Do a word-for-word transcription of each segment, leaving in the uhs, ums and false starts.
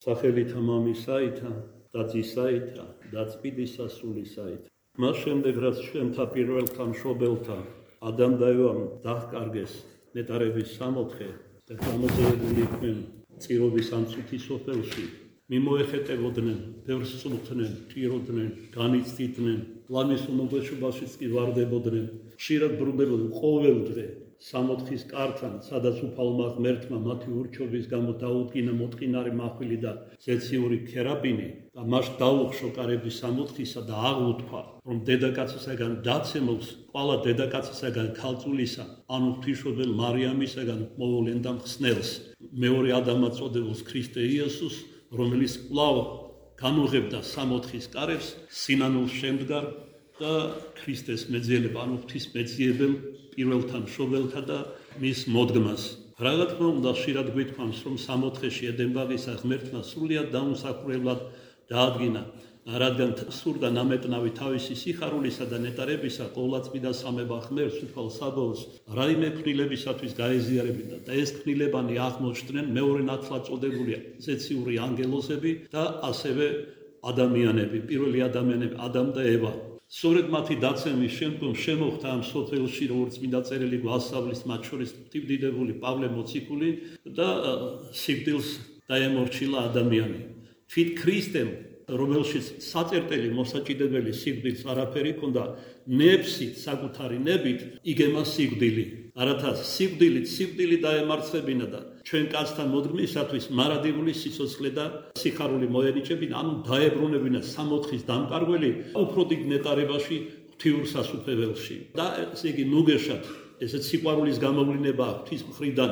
სახელითა მამისაითა და ძისაითა და წმინდისა სულისაით. მას შემდეგ რაც ჩვენთა პირველთა მშობელთა ადამ და ევამ დაჰკარგეს ნეტარების სამოთხე და გამოძევებული იყვნენ წირობის ამ წუთის სოფელში, მიმოეხეტებოდნენ, ბევრს წუხდნენ, ჭიროდნენ, განიცდიდნენ, ლამის უმოგეშობაშიც კი ვარდებოდნენ, ხშირად ბრუნდებოდნენ ყოველ დღე სამოთხის კართან, სადაც უფალმა ღმერთმა მათი ურჩობის გამო დაუდგინა მოტყინარი მახვილი და ზეციური ქერაბინი და მას დაუხშო კარების სამოთხისა და აღუთქვა, რომ დედაკაცისაგან დაცემულს ყველა დედაკაცისაგან ქალწულისა, ანუ ღვთისმშობელ მარიამისაგან მოვლენდა მხსნელს, მეორე ადამად წოდებულს ქრისტე იესოს, რომელიც კვლავ განუღებდა სამოთხის კარებს, სინანულს შემდგარ და ქრისტეს მეძიება, ანუ ღვთისმეძიებელ პირველთა მშობელთა და მის მოდგმას. რა თქმა უნდა, ხშირად გვითქვამს, რომ სამოთხეში ედებაღისა ღმერთმა სრულიად დაუმსახურებლად დაადგინა, რადგან სურდა ნამეტნავი თავისი სიხარულისა და ნეტარებისა ყოვლადწმიდა სამება ღმერთს უფალ საბოლოოს რაიმე ქმნილებისათვის გაეზიარებინა და ეს ქმნილებანი აღმოჩნდნენ მეორე ნათლად წოდებული ზეციური ანგელოზები და ასევე ადამიანები, პირველი ადამიანები, ადამ და ევა. სწორედ მათი დაცემის შემდგომ შემოხდა ამ სოფელში, როგორც წმინდა წერილი გვასწავლის, მათ შორის ღვთისმდიდრებული პავლე მოციქული და სიკვდილს დაემორჩილა ადამიანი. თვით ქრისტემ, რომელშიც საწერტელი მოსაჭიდებელი სიკვდილს არაფერი ჰქონდა, ნებსით, საკუთარი ნებით იგემა სიკვდილი. არათა სიკვდილით სიკვდილი დაემარცხებინა და ჩვენ კაცთა მოდგმისათვის მარადიული სიცოცხლე და სიხარული მოენიჭებინა, ანუ დაებრუნებინა სამოთხის დამკარგველი უფრო დიდ ნეტარებაში ღვთიურ სასუფეველში. და ესე იგი ნუგეშად ესეც სიყვარულის გამოვლინებაა ღვთის მხრიდან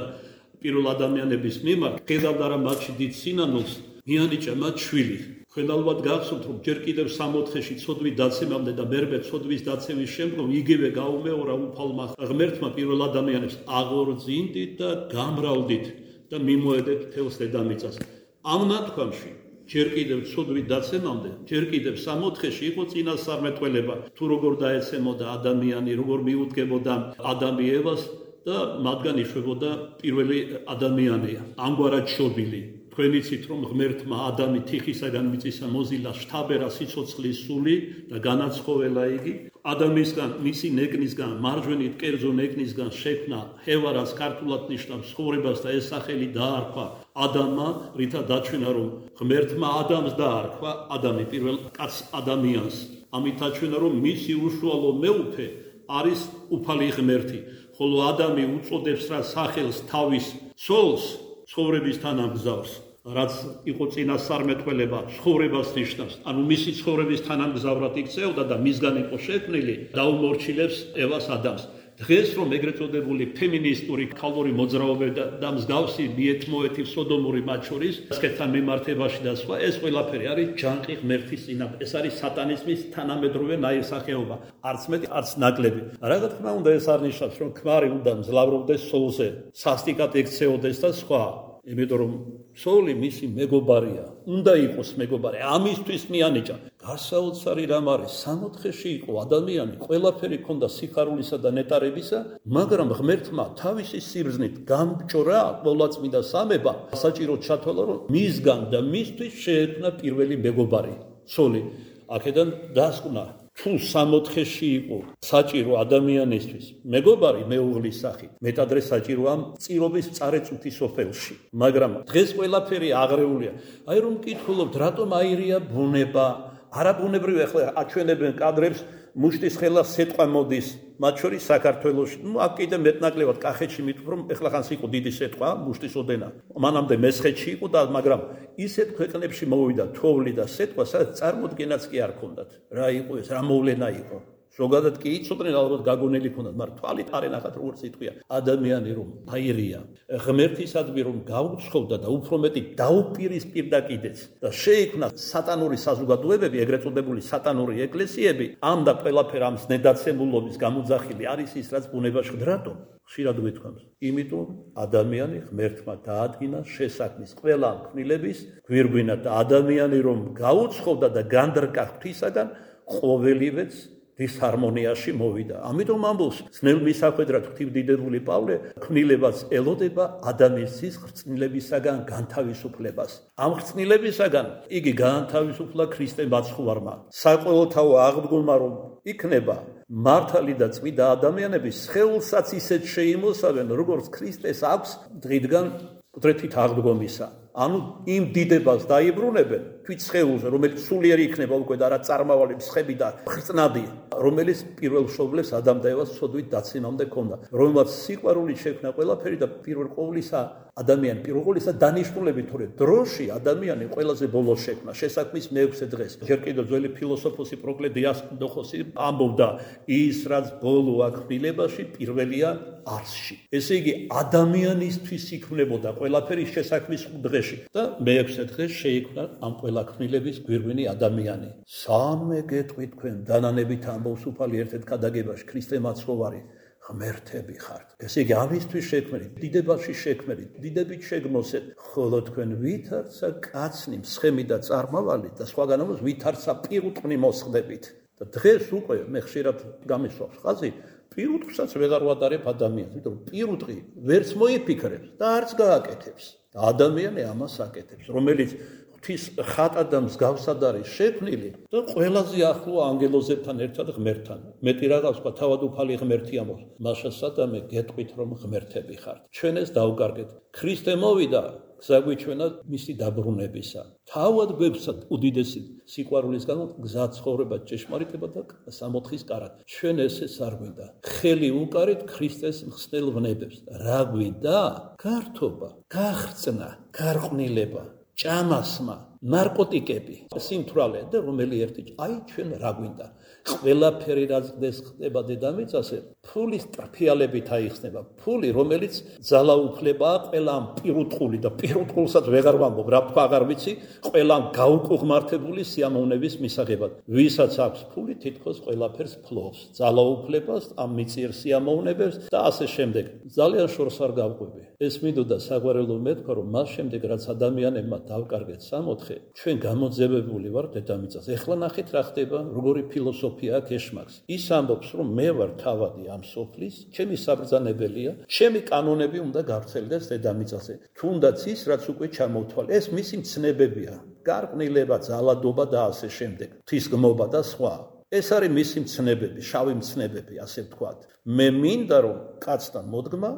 პირველ ადამიანების მიმართ, ხედავდა რა მათში დიდ სინანულს, მიანიჭა მათ შვილი. ჩვენ ალბათ გახსოვთ, რომ ჯერ კიდევ სამოთხეში ცოდვის დაცემამდე და მერმე ცოდვის დაცემის შემდგომ იგივე გაუმეორა უფალმა ღმერთმა პირველ ადამიანებს აღორძინდით და გამრავლდით და მიმოედეთ თელს დედამიწას. ამ ნათქვამში ჯერ კიდევ ცოდვის დაცემამდე, ჯერ კიდევ სამოთხეში იყო წინასწარმეტყველება, თუ როგორ დაეცემოდა ადამიანი, როგორ მიუდგებოდა ადამი ევას და მათგან იშვებოდა პირველი ადამიანი, ამგვარად შობილი. თქვენ იცით, რომ ღმერთმა ადამი თიხისაგან მიწისა მოზილა შთაბერა სიცოცხლის სული და განაცხოველა იგი. ადამისგან, მისი ნეკნისგან, მარჯვენით კერძო ნეკნისგან შექმნა ჰევარას, ქართულად ნიშნავს ცხოვრებას და ეს სახელი დაარქვა ადამმა, რითა დაჩვენა, რომ ღმერთმა ადამს დაარქვა, ადამი პირველ კაც ადამიანს. ამით დაჩვენა, რომ მისი უშუალო მეუფე არის უფალი ღმერთი, ხოლო ადამი უწოდებს რა სახელს თავის ცოლს, ცხოვრების თანამგზავრს. რაც იყო წინასწარმეტყველება, ცხოვრებას ნიშნავს, ანუ მისი ცხოვრების თანამგზავრად იქცეოდა და მისგან იყო შექმნილი, დაუმორჩილებს ევას ადამს. დღეს რომ ეგრეთ წოდებული ფემინისტური ქალური მოძრაობა და მსგავსი მიეთმოეთი სოდომური მათ შორის ასკეთთან მიმართებაში და სხვა, ეს ყველაფერი არის ჯანყი ღმერთის წინააღმდეგ. ეს არის სატანიზმის თანამედროვე ნაირსახეობა, არც მეტი, არც ნაკლები. რა თქმა უნდა, ეს არ ნიშნავს, რომ ქმარი უნდა მძლავრობდეს სულზე, სასტიკად ექცეოდეს და სხვა. იმიტომ რომ სული მისი მეგობარია, უნდა იყოს მეგობარი, ამისთვის მიანიჭა. გასაოცარი რამ არის, სამოთხეში იყო ადამიანი, ყველაფერი ჰქონდა სიხარულისა და ნეტარებისა, მაგრამ ღმერთმა თავისი სიბრძნით გამჭრა ყოვლადწმიდა სამება, საჭიროდ ჩათვალა, რომ მისგან და მისთვის შეექმნა პირველი მეგობარი, სული. აქედან დასკვნა, თუ სამოთხეში იყო საჭირო ადამიანისთვის მეგობარი მეუღლის სახით, მეტადრე საჭიროა წირობის წარეწუთი სოფელში. მაგრამ დღეს ყველაფერი აღრეულია. აი რომ მკითხულობთ, რატომ აირია ბუნება? არაბუნებრივი ახლა აჩვენებენ კადრებს, მუშტის ხელა სეტყვა მოდის, მათ შორის საქართველოში. ნუ აქ კიდე მეტნაკლებად კახეთში მithum, რომ ეხლა ხანს იყო დიდი სეტყვა, მუშტის ოდენა. მანამდე მესხეთში იყო და მაგრამ ისეთ ქვეყნებში მოვიდა თოვლი და სეტყვა, სადაც წარმოდგენაც კი არ ქონდათ. რა იყო ეს, რა მოვლენა იყო. ზოგადად კი იცოდნენ, ალბათ გაგონელი ქონდათ, მაგრამ თვალით არ ენახათ, როგორც იტყვია. ადამიანი რომ აირია, ღმერთისადმი რომ გაუცხოვდა და უფრო მეტი დაუპირისპირდა კიდეც და შეიქმნა სატანური საზოგადოებები, ეგრეთ წოდებული სატანური ეკლესიები, ამ და ყველაფერ ამ ზნედაცემულობის გამოძახილი არის ის, რაც ბუნებაში ხდება. რატომ? ხშირად გვითქვამს. იმიტომ ადამიანი ღმერთმა დაადგინა შესაქმნის ყველა ქმნილების გვირგვინად და ადამიანი რომ გაუცხოვდა და განდრკა ღვთისაგან, ყოველივეც დისჰარმონიაში მოვიდა. ამიტომ ამბობს ძნელ მისახვედრად ღვთივდიდებული პავლე ქმნილებაც ელოდება ადამიანის ხრწნილებისაგან განთავისუფლებას. ამ ხრწნილებისაგან იგი გაანთავისუფლა ქრისტემ მაცხოვარმა. საყოველთაო აღდგომა რომ იქნება მართალი და წმინდა ადამიანების სხეულსაც ისეთ შეიმოსავენ, როგორც ქრისტეს აქვს დღიდან კუდრეთით აღდგომისა. ანუ იმ დიდებას დაიბრუნებენ თვით სხეულზე, რომელიც სულიერი იქნება უკვე და არა წარმავალი მსხები და ხრწნადი, რომელიც პირველ მშობლებს ადამ და ევას ცოდვით დაცემამდე ქონდა, რომელმაც სიყვარული შექმნა ყველაფერი და პირველ ყოვლისა ადამიანი პირველ ყოვლისა დანიშნულებით, თორე დროში ადამიანი ყველაზე ბოლოს შექმნა, შესაქმნის მეექვსე დღეს. ჯერ კიდევ ძველი ფილოსოფოსი პროკლე დიასკდოხოსი ამბობდა, ის რაც ბოლო აკმილებაში პირველია არსში. ესე იგი ადამიანისთვის იქმნებოდა ყველაფერი შესაქმნის დღეში და მეექვსე დღეს შეიქმნა ამ ყველა ქმნილების გვირგვინი ადამიანი. სამე გეტყვით თქვენ დანანებით ამბობს უფალი ერთ-ერთ ქადაგებაში ქრისტე მაცხოვარი ღმერთები ხართ. ესე იგი ამისთვის შექმნილი, დიდებაში შექმნილი, დიდებით შეგმოსეთ, ხოლო თქვენ ვითარცა კაცნი, მსხემი და წარმავალი და სხვაგან ამბობს ვითარცა პირუტყვი მოსხდებით. და დღეს უკვე მე ხშირად გამისვავს ხაზი პირუტყვსაც ვეღარ ვადარებ ადამიანს, იმიტომ რომ პირუტყვი ვერც მოიფიქრებს და არც გააკეთებს. და ადამიანი ამას აკეთებს, რომელიც ღვთის ხატად და მსგავსად არის შექმნილი და ყველაზე ახლო ანგელოზებთან ერთად ღმერთთან. მეტი რაღაც ვთქვა, თავად უფალი ღმერთი ამბობს, მაშა სადამე გეტყვით რომ ღმერთები ხართ. ჩვენ ეს დავკარგეთ. ქრისტე მოვიდა გზა გვიჩვენა მისი დაბრუნებისა. თავად გვეცად უდიდესი სიყვარულის გამო გზა ცხოვრება, ჭეშმარიტება და სამოთხის კარად. ჩვენ ესეც არ გვინდა. ხელი უკარით ქრისტეს მხსნელ ვნებებს. რა გვინდა? გართობა, გახრწნა, გარყვნილება, ჭამასმა, ნარკოტიკები, სიმთვრალე და რომელი ერთი აი ჩვენ რა გვინდა? ყველაფერი რაც ხდეს ხდება დედამიწაზე, ფულის ტრფიალებით აიხსნება. ფული, რომელიც ძალაუფლებაა ყველამ პირუტყული და პირუტყულსაც ვეღარ ვამბობ, რა თქვა აღარ ვიცი, ყველამ გაუკუღმართებული სიამოვნების მისაღებად. ვისაც აქვს ფული, თითქოს ყველაფერს ფლობს, ძალაუფლებას, ამ მიწიერ სიამოვნებებს და ასე შემდეგ. ძალიან შორს არ გავყვები. ეს მინდოდა საგვარელო მეთქვა, რომ მას შემდეგ რაც ადამიანებმა დავკარგეთ სამოთხე, ჩვენ გამოძევებული ვარ დედამიწაზე. ეხლა ნახეთ რა ხდება, როგორი ფილოსოფია აქვს ეშმაკს. ის ამბობს, რომ მე ვარ თავადი ამ სოფლის, ჩემი საბრძანებელია, ჩემი კანონები უნდა გავრცელდეს დედამიწაზე. თუნდაც ის, რაც უკვე ჩამოვთვალე, ეს მისი მცნებებია, გარყვნილება, ძალადობა და ასე შემდეგ, ღვთისგმობა და სხვა. ეს არის მისი მცნებები, შავი მცნებები, ასე ვთქვათ. მე მინდა რომ კაცთან მოდგმა,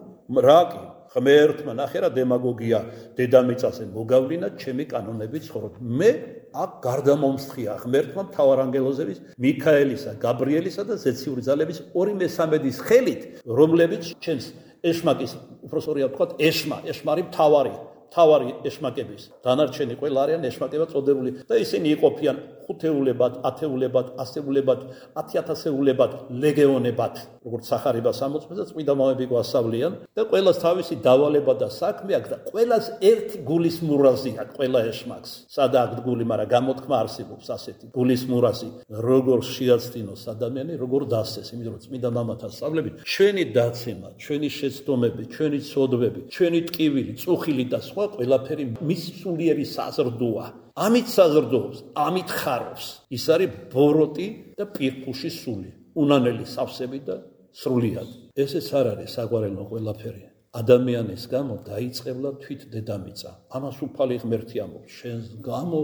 რა კი ღმერთმა ნახე რა დემაგოგია დედამიწაზე მოგავლინა ჩემი კანონები ცხოვრობ. მე აქ გარდამომსხია ღმერთმა მთავარანგელოზების მიქაელისა, გაბრიელისა და ზეციური ძალების ორი მესამედის ხელით, რომლებიც ჩემს ეშმაკის, უბრალოდ ვთქვათ, ეშმა, ეშმარი მთავარი, მთავარი ეშმაკების. დანარჩენი ყველა არიან ეშმაკებად წოდებული და ისინი იყოფიან ხუთეულებად, ათეულებად, ასეულებად, ათიათასეულებად, ლეგეონებად, როგორც სახარებას ამოწმებს და წმინდა მამები გვასწავლიან და ყველას თავისი დავალება და საქმე აქვს და ყველას ერთი გულის მურაზი აქვს ყველა ეშმაკს. სადა აქვს გული, მაგრამ გამოთქმა არსებობს ასეთი გულის მურაზი, როგორ შეაცდინოს ადამიანი, როგორ დასცეს, იმიტომ რომ წმინდა მამათა სწავლებით ჩვენი დაცემა, ჩვენი შეცდომები, ჩვენი ცოდვები, ჩვენი ტკივილი, წუხილი და სხვა ყველაფერი მის სულიერი საზრდოა. ამით საზრდოობს, ამით ხარობს. ის არის ბოროტი და პირფუში სული, უნანელი სავსები და სრულიად. ესეც არ არის საყვარელო ყველაფერი. ადამიანის გამო დაიწყებლა თვით დედამიწა. ამას უფალი ღმერთი ამბობს, შენს გამო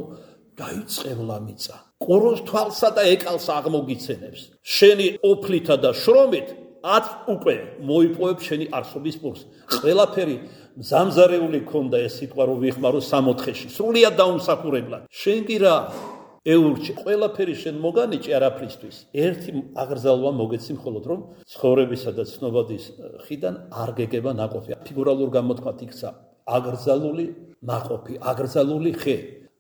დაიწყებლა მიწა. ყუროს თვალსა და ეკალს აღმოგიცენებს. შენი ოფლითა და შრომით ათ უკვე მოიპოვებ შენი არსობის პურს. ყველაფერი მზამზარეული ქონდა ეს სიტყვა რომ ვიხმარო სამოთხეში. სრულიად დაუმსახურებლად. შენ კი რა ეურჩე, ყველაფერი შენ მოგანიჭი არაფრისთვის. ერთი აღრძალვა მოგეცი მხოლოდ რომ ცხოვრებისა და ცნობადის ხიდან არ გეგება ნაყოფი. ფიგურალურ გამოთქვათ იქცა აგრძალული ნაყოფი, აგრძალული ხე.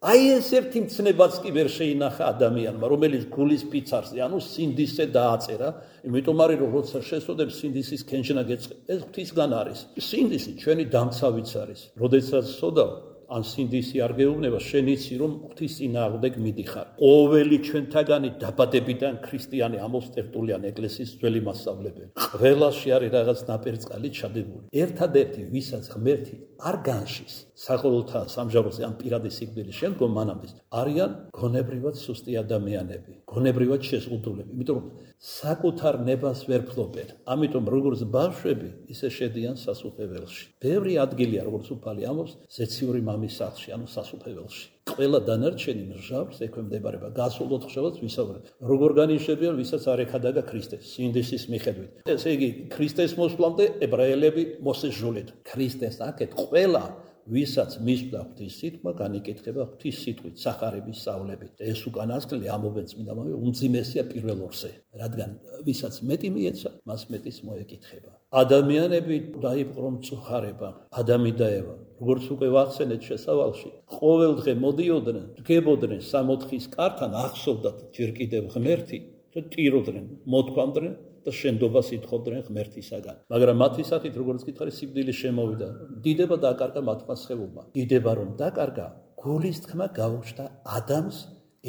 აი ეს ერთი მცნებაც კი ვერ შეინახა ადამიანმა, რომელიც გულის ფიცარზე, ანუ სინდისზე დააწერა, იმიტომ არის რომ როცა შესწოდებ სინდისის კენჭნა გეწყე, ეს ღვთისგან არის. სინდისი ჩვენი დამცავიც არის. როდესაც სოდავ ან სინდისი არ გეუბნება, შენ იცი რომ ღვთის წინააღმდეგ მიდიხარ. ყოველი ჩვენთაგანი დაბადებიდან ქრისტიანი ამოსტერტულიან ეკლესიის ძველი მასწავლებელი. ყველაში არის რაღაც ნაპერწკალი ჩადებული. ერთადერთი ვისაც ღმერთი არ განშის საყოველთაო სამჟავროზე ამ პირადი სიკვდილის შემდგომ მანამდე არიან გონებრივად სუსტი ადამიანები, გონებრივად შეზღუდულები, იმიტომ რომ საკუთარ ნებას ვერ ფლობენ. ამიტომ როგორც ბავშვები, ისე შედიან სასუფეველში. ბევრი ადგილია, როგორც უფალი ამბობს, ზეციური მამის სახლში, ანუ სასუფეველში. ყველა დანარჩენი მჟავს ექვემდებარება გასულ ოთხშაბათს ვისაუბრებ. როგორ განიშნებიან, ვისაც არ ეხადაგა ქრისტეს, სინდისის მიხედვით. ესე იგი, ქრისტეს მოსვლამდე ებრაელები მოსეს ჟოლეთ. ქრისტეს აქეთ ყველა ვისაც მისვდა ღვთის სიტყვა, განიკითხება ღვთის სიტყვით, სახარების სწავლებით. ეს უკანასკნელი ამობენ წმინდა მამები, უმძიმესია პირველ ორზე, რადგან ვისაც მეტი მიეცა, მას მეტის მოეკითხება. ადამიანები დაიპყრო მწუხარება, ადამი და ევა. როგორც უკვე ვახსენეთ შესავალში, ყოველ დღე მოდიოდნენ, დგებოდნენ სამოთხის კართან, ახსოვდათ ჯერ კიდევ ღმერთი და ტიროდნენ, მოთქვამდნენ და შენდობას ითხოვდნენ ღმერთისაგან. მაგრამ მათი სახით, როგორც გითხარი, სიკვდილი შემოვიდა. დიდება დაკარგა მათმა სხეულმა. დიდება რომ დაკარგა, გულის თქმა გაუჩნდა ადამიანს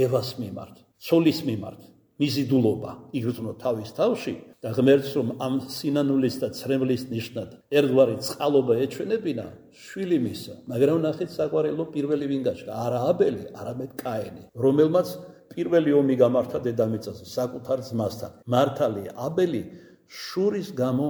ევას მიმართ, ცოლის მიმართ. მიზიდულობა იგრძნო თავის თავში და ღმერთს რომ ამ სინანულის და ცრემლის ნიშნად ერთგვარი წყალობა ეჩვენებინა, შვილი მისცა. მაგრამ ნახეთ საყვარელო პირველი ვინ გაჩნდა, არა აბელი, არამედ კაენი, რომელმაც პირველი ომი გამართა დედამიწაზე საკუთარ ძმასთან. მართალი აბელი შურის გამო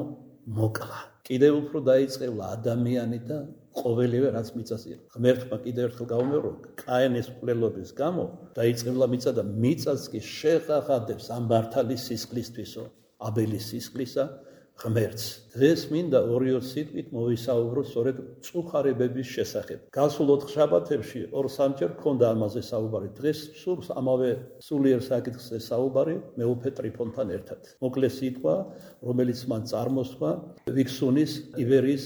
მოკლა. კიდევ უფრო დაიწყევლა ადამიანი და ყოველივე რაც მიწაზე. ღმერთმა კიდევ ერთხელ გაუმეორო, კაენის მკვლელობის გამო დაიწყევლა მიწა და მიწაც კი შეღაღადებს ამ მართალის სისხლისთვისო, აბელის სისხლისა ღმერთს. დღეს მინდა ორიო სიტყვით მოვისაუბრო სწორედ მწუხარებების შესახებ. გასულ ოთხ შაბათებში ორ სამჯერ ქონდა ამაზე საუბარი. დღეს სურს ამავე სულიერ საკითხზე საუბარი მეუფე ტრიფონთან ერთად. მოკლე სიტყვა, რომელიც მან წარმოსთქვა ვიქსუნის ივერიის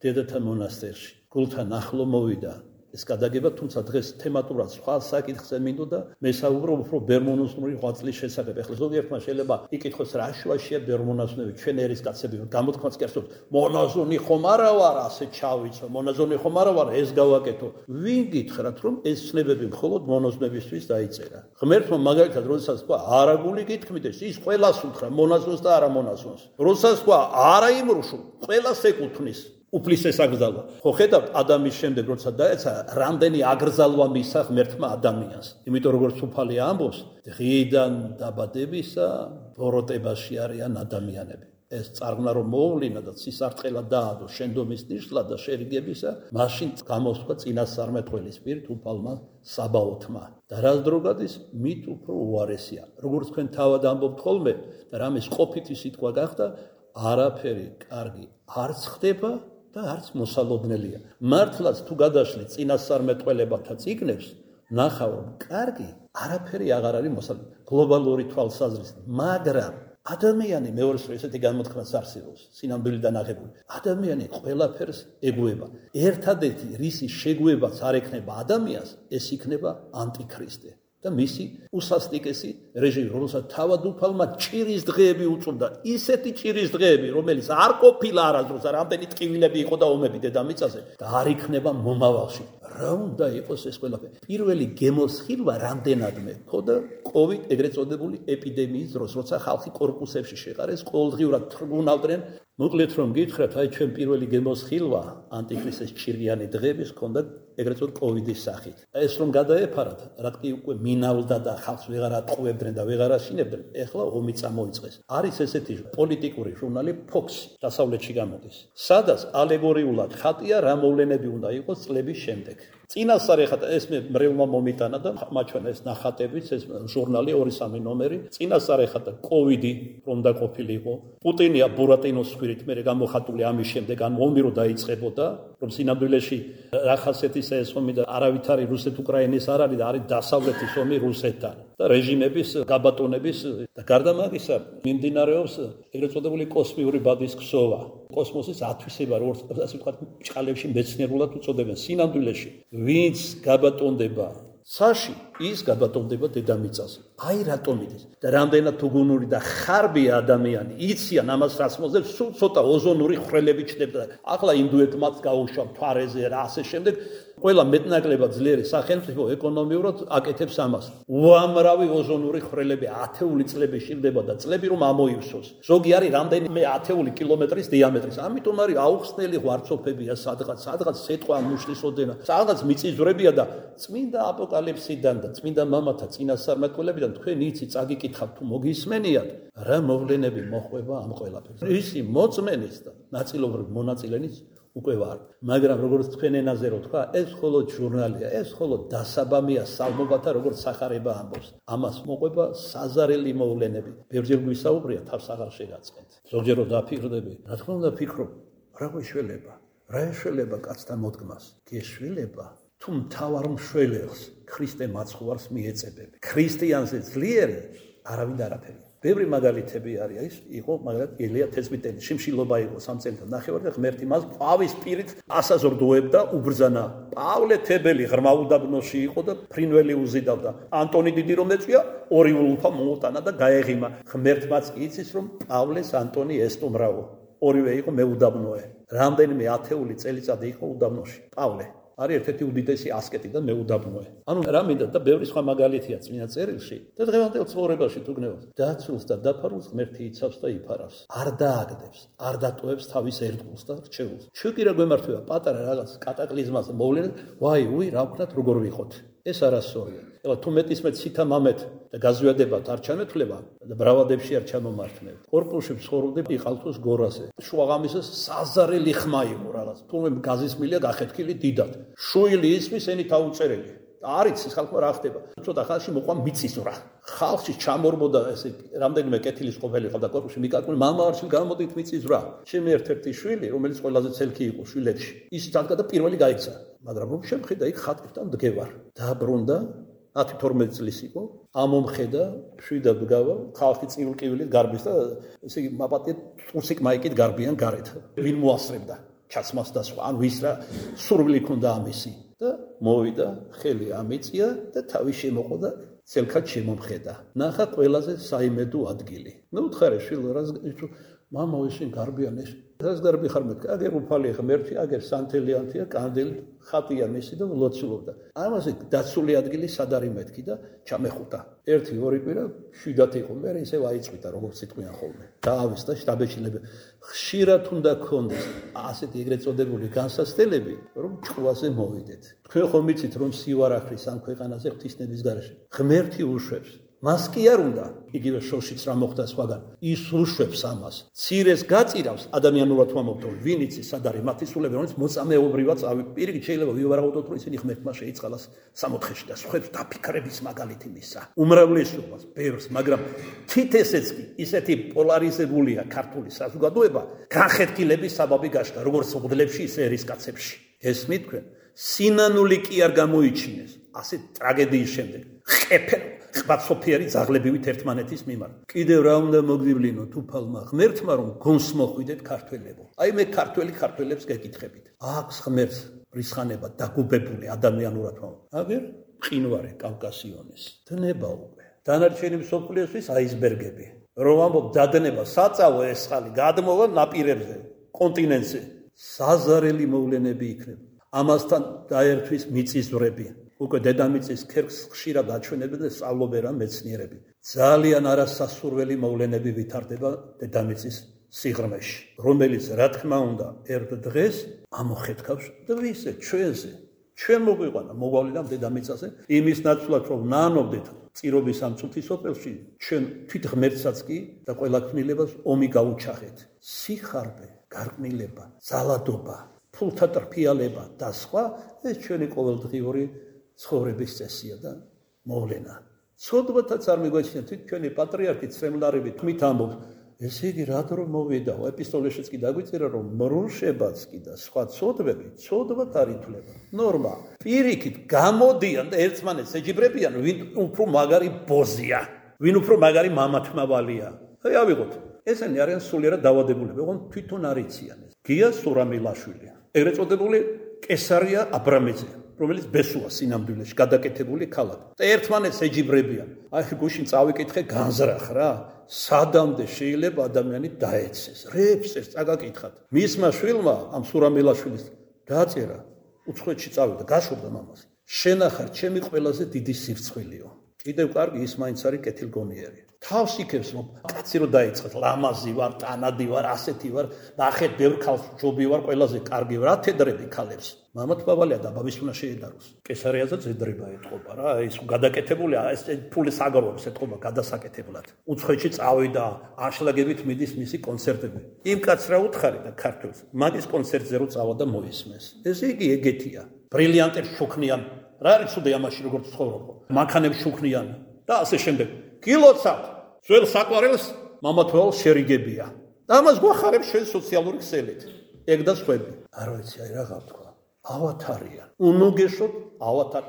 დედათა მონასტერში. გულთან ახლო მოვიდა ეს გადაგება, თუმცა დღეს თემატურად სხვა საკითხზე მინდოდა მესაუბრო უფრო ბერმონოზნური ღვაწლის შესახებ. ეხლა ზოგიერთმა შეიძლება იკითხოს, რა შუაშია ბერმონაზონები, ჩვენ ერისკაცები, გამოთქვაც კი არსებობს, მონაზონი ხომ არა ვარ, ასე ჩავიცო, მონაზონი ხომ არა ვარ, ეს გავაკეთო. ვინ გითხრათ, რომ ეს ცნებები მხოლოდ მონაზონებისთვის დაიწერა? ღმერთმა მაგალითად როდესაც თქვა, არა გული გითქმიდეს, ის ყველას უთხრა, მონაზონს და არა მონაზონს. როდესაც თქვა, არა იმრუშო, ყველას ეკუთვნის. უფლისეს აკრძალვა. ხო ხედავთ, ადამის შემდეგ როცა დაეცა, რამდენი აკრძალვა მისცა ღმერთმა ადამიანს. იმიტომ როგორც უფალი ამბობს, დღიდან დაბადებისა ბოროტებაში არიან ადამიანები. ეს წარღვნა რომ მოუვლინა და სისარტყელა დაადო შენდომის ნიშნად და შერიგებისა, მაშინ გამოსვლა წინასწარმეტყველის პირით უფალმა საბაოთმა. და რას დრო გადის, მით უფრო უარესია. როგორც თქვენ თავად ამბობთ ხოლმე და რამის ყოფითი სიტყვა გახდა, არაფერი კარგი არც ხდება და არც მოსალოდნელია. მართლაც თუ გადაშლი წინასწარმეტყველებათა წიგნებს, ნახავ რომ კარგი არაფერი აღარ არის მოსალოდნელი. გლობალური თვალსაზრისით, მაგრამ ადამიანი მეორეს რო ესეთი გამოთქმას არსებობს, სინამდვილიდან აღებული. ადამიანი ყველაფერს ეგუება. ერთადერთი რისი შეგუებაც არ ექნება ადამიანს, ეს იქნება ანტიქრისტე. და მისი უსასტიკესი რეჟიმი, რომელსაც თავად უფალმა ჭირის დღეები უწოდა, ისეთი ჭირის დღეები, რომელიც არ ყოფილა არასდროს, რამდენი ტკივილები იყო და ომები დედამიწაზე და არ იქნება მომავალში. რა უნდა იყოს ეს ყველაფერი? პირველი გემოსხილვა რამდენადმე ხოდა კოვიდ ეგრეთ წოდებული ეპიდემიის დროს, როცა ხალხი კორპუსებში შეყარეს, ყოველდღიურად თრგუნავდნენ. მოკლედ რომ გითხრათ, აი ჩვენ პირველი გემოსხილვა ანტიქრისტეს ჭირიანი დღეების ჰქონდა ეგრეთ წოდებული კოვიდის სახით. ეს რომ გადაეფარათ, რატკი უკვე მინავდა და ხალხს ვეღარ ატყუებდნენ და ვეღარ აშინებდნენ, ეხლა ომი წამოიწყეს. არის ესეთი პოლიტიკური ჟურნალი Fox-ი, დასავლეთში გამოდის. სადაც ალეგორიულად ხატია რა მოვლენები უნდა იყოს წლების შემდეგ. წინასწარ ეხლა ეს მე მრევლმა მომიტანა და მაჩვენა ეს ნახატებიც, ეს ჟურნალი ორი სამი ნომერი. წინასწარ ეხლა და კოვიდი რომ დაყოფილიყო. პუტინია ბურატინოს ხვრით მე გამოხატული ამის შემდეგ, ან ომი რო დაიწყებოდა, რომ სინამდვილეში რახასეთის ეს ომი და არავითარი რუსეთ-უკრაინის არ არის და არის დასავლეთის ომი რუსეთთან და რეჟიმების გაბატონების და გარდა მაგისა მიმდინარეობს ეგრეთ წოდებული კოსმიური ბადის ქსოვა. კოსმოსის ათვისება, როგორც ასე ვთქვათ, ჭყალებში მეცნიერულად უწოდებენ. სინამდვილეში ვინც გაბატონდება საში, ის გაბატონდება დედამიწაზე. აი რატომ იდეს და რამდენად თუგუნური და ხარბია ადამიანი, იციან ამას რას მოძებს, სულ ცოტა ოზონური ხვრელები ჩნდება. ახლა ინდუეთმაც გაუშვა მთვარეზე რა ასე შემდეგ. ყველა მეტნაკლებად ძლიერი სახელმწიფო ეკონომიურად აკეთებს ამას. უამრავი ოზონური ხვრელები ათეული წლები შილდება და წლები რომ ამოივსოს. ზოგი არის რამდენიმე ათეული კილომეტრის დიამეტრის. ამიტომ არის აუხსნელი ღვარცოფებია სადღაც, სადღაც სიტყვა მუშლისოდენა, სადღაც მიწისძვრებია და წმინდა აპოკალიფსიდან და წმინდა მამათა წინასწარმეტყველებიდან თქვენ იცი წაგიკითხავთ თუ მოგისმენიათ, რა მოვლენები მოხვება ამ ყველაფერს. ისი მოწმენის და ნაწილობრივ მონაწილენის უკვე ვარ, მაგრამ როგორც თქვენ ენაზე რო თქვა, ეს მხოლოდ ჟურნალია, ეს მხოლოდ დასაბამია სალმობათა როგორც სახარება ამბობს. ამას მოყვება საზარელი მოვლენები. ბევრჯერ გვისაუბრია, თავს აღარ შეგაწყენთ. ზოგჯერ რო დაფიქრდები, რა თქმა უნდა ფიქრობ, რა გვეშველება, რა ეშველება კაცთა მოდგმას, გეშველება თუ მთავარ მშველელს ქრისტე მაცხოვარს მიეწებები. ქრისტიანზე ძლიერი არავინ არაფერი. ბევრი მაგალითები არის, იყო მაგალითად ელია თესბიტელი, შიმშილობა იყო სამ წელიწად ნახევარი და ღმერთი მას პავის პირით ასაზრდოებდა, უბრძანა. პავლე თებელი ღრმა უდაბნოში იყო და ფრინველი უზიდავდა. ანტონი დიდი რომ ეწვია, ორი ულფა მოუტანა და გაეღიმა. ღმერთმაც კი იცის რომ პავლეს ანტონი ესტუმრაო. ორივე იყო მეუდაბნოე. რამდენიმე ათეული წელიწადი იყო უდაბნოში. პავლე არის ერთ-ერთი უდიდესი ასკეტი და მეუდაბნოე. ანუ რა მინდა და ბევრი სხვა მაგალითია წმინდა წერილში და დღევანდელ ცხოვრებაში თუ გნევთ. დაცულს და დაფარულს ღმერთი იცავს და იფარავს. არ დააგდებს, არ დატოვებს თავის ერთგულს და რჩეულს. ჩვენ კი რა გვემართება პატარა რაღაც კატაკლიზმაზე მოვლენად, ვაი, უი, რა ვქნათ, როგორ ვიყოთ. ეს არასწორია. ეხლა თუ მეტისმეტ სითა მამეთ და გაზვიადებათ არ ჩამეთვლება და ბრავადებში არ ჩამომართმევთ. კორპუსში ცხოვრობდი იყალთოს გორაზე. შუაღამისას საზარელი ხმა იყო რაღაც. თუმცა გაზისმილია გახეთქილი დიდად. შუილი ისმის ენით აუწერელი. არის ის ხალხმა რა ხდება. ცოტა ხალხში მოყვა მიწისძვრა. ხალხში ჩამორბოდა ესე რამდენიმე კეთილის ყოფილი ყავდა კორპუსში მიკაკული მამა არჩილ გამოდით მიწისძვრა. ჩემი ერთ-ერთი შვილი, რომელიც ყველაზე ცელქი იყო შვილებში. ის დადგა და პირველი გაიქცა. მაგრამ რომ შემხედა იქ ხატებთან დგევარ. დაბრუნდა ათი თორმეტი წლის იყო. ამომხედა, შვიდა დგავა, ხალხი წიულკივილით გარბის და ესე იგი მაპატია ტურსიკ მაიკით გარბიან გარეთ. ვინ მოასწრებდა ჩაცმას და სხვა, ან ვის რა სურვილი ქონდა ამისი. და მოვიდა, ხელი ამიწია და თავი შემოყო და ცელქად შემომხედა. ნახა ყველაზე საიმედო ადგილი. ნუ თხარე შვილო რა მამა ისინი გარბიან ეს. რას გარბი ხარ მეთქი? აგერ უფალი ღმერთი, აგერ სანთელიანთია, კანდელი ხატია მისი და ლოცულობდა. ამაზე დაცული ადგილი სად არის მეთქი და ჩამეხუტა. ერთი ორი კვირა შვიდათ იყო, მე ისევ აიწვიდა როგორც სიტყვიან ხოლმე. დაავის და შტაბეჭილები. ხშირად უნდა გქონდეს ასეთი ეგრეთ წოდებული განსასწრებელი, რომ ჭკუაზე მოვიდეთ. თქვენ ხომ იცით რომ სივარახრის ამ ქვეყანაზე ღვთისნების გარეშე ღმერთი უშვებს. მას კი არ უნდა, იგივე შოშიც რა მოხდა სხვაგან, ის უშვებს ამას. ცირეს გაწირავს ადამიანურად ვამბობ, ვინ იცის სად არის მათი სულები, რომელიც მოწამეობრივად პირიქით შეიძლება ვივარაუდოთ, რომ ისინი ღმერთმა შეიწყალას სამოთხეში და სხვებს დაფიქრების მაგალითი მისცა. უმრავლესობას, ბევრს, მაგრამ თით ესეც კი ისეთი პოლარიზებულია ქართული საზოგადოება, განხეთქილების საბაბი გაშდა, როგორც ღვთლებში, ისე ერისკაცებში. ესმით თქვენ, სინანული კი არ გამოიჩინეს ასეთ ტრაგედიის შემდეგ. ყეფენ ღვაწოფიერი ძაღლებივით ერთმანეთის მიმართ. კიდევ რა უნდა მოგდივლინოთ უფალმა ღმერთმა რომ გონს მოხვიდეთ ქართველებო. აი მე ქართველი ქართველებს გეკითხებით. აქვს ღმერთს რისხანება დაგუბებული ადამიანურად ვამბობ. აგერ მყინვარე კავკასიონის. დნება უკვე. დანარჩენი მსოფლიოსთვის აისბერგები. რომ ვამბობ დადნება საწავო ესხალი გადმოვა ნაპირებზე, კონტინენტზე. საზარელი მოვლენები იქნება. ამასთან დაერთვის მიწისძვრები. უკვე დედამიწის ქერქს ხშირად აჩვენებენ და სწავლობენ მეცნიერები. ძალიან არასასურველი მოვლენები ვითარდება დედამიწის სიღრმეში, რომელიც რა თქმა უნდა ერთ დღეს ამოხეთქავს და ვისე ჩვენზე. ჩვენ მოგვიყვანა მოვალიდან დედამიწაზე იმის ნაცვლად რომ ნანობდეთ წირობის ამ წუთის ოპელში ჩვენ თვით ღმერთსაც კი და ყველა ქმნილებას ომი გაუჩახეთ. სიხარბე, გარყმილება, ძალადობა, ფულთა ტრფიალება და სხვა ეს ჩვენი ყოველდღიური ცხოვრების წესია და მოვლენა. ცოდვათაც არ მიგვაჩნია თვით ჩვენი პატრიარქი ცრემლარები თმით ამბობს, ესე იგი რად რომ მოვიდაო, ეპისტოლეშიც კი დაგვიწერა რომ მრუშებაც კი და სხვა ცოდვები ცოდვათ არ ითვლება. ნორმა. პირიქით გამოდიან და ერთმანეთს ეჯიბრებიან, ვინ უფრო მაგარი ბოზია, ვინ უფრო მაგარი მამათმავალია. აი ავიღოთ. ესენი არიან სულიერად დაავადებულები, ოღონდ თვითონ არ იციან ეს. გია სურამილაშვილი. ეგრეთ წოდებული კესარია აბრამიძე. რომელიც ბესუა სინამდვილეში გადაკეთებული ქალაქი. და ერთმანეთს ეჯიბრებიან. აი გუშინ წავიკითხე განზრახ რა. სადამდე შეიძლება ადამიანი დაეცეს. რეფსეს წაგაკითხათ. მისმა შვილმა ამ სურამელაშვილის დაწერა უცხოეთში წავიდა, გაშურდა მამას. შენ ახარ ჩემი ყველაზე დიდი სირცხვილიო. კიდევ კარგი ის მაინც არის კეთილგონიერი. თავს იქებს რომ კაცი რო დაიწყეთ, ლამაზი ვარ, ტანადი ვარ, ასეთი ვარ, ნახეთ ბევრ ქალს ჯობი ვარ, ყველაზე კარგი ვარ, ათედრები ქალებს. მამა თვალია და ბაბის უნდა შეედაროს. კესარიაზეც ედრება ეთყობა რა, ის გადაკეთებულია, ეს ფულის აგროვებს ეთყობა გადასაკეთებლად. უცხოეთში წავიდა, აშლაგებით მიდის მისი კონცერტები. იმ კაცს რა უთხარი და ქართველს, მაგის კონცერტზე რო წავა და მოისმეს. ესე იგი ეგეთია. ბრილიანტებს შუქნიან. რა არის ცუდი ამაში როგორც ცხოვრობ? მანქანებს შუქნიან და ასე შემდეგ. გილოცავთ, ძველ საყვარელს მამათვალ შერიგებია. და ამას გვახარებს ჩვენ სოციალური ქსელით. ეგ და სხვები. არ ვიცი, აი რა გავთქვა. ავათარიან. უნუგეშოთ ავათარ.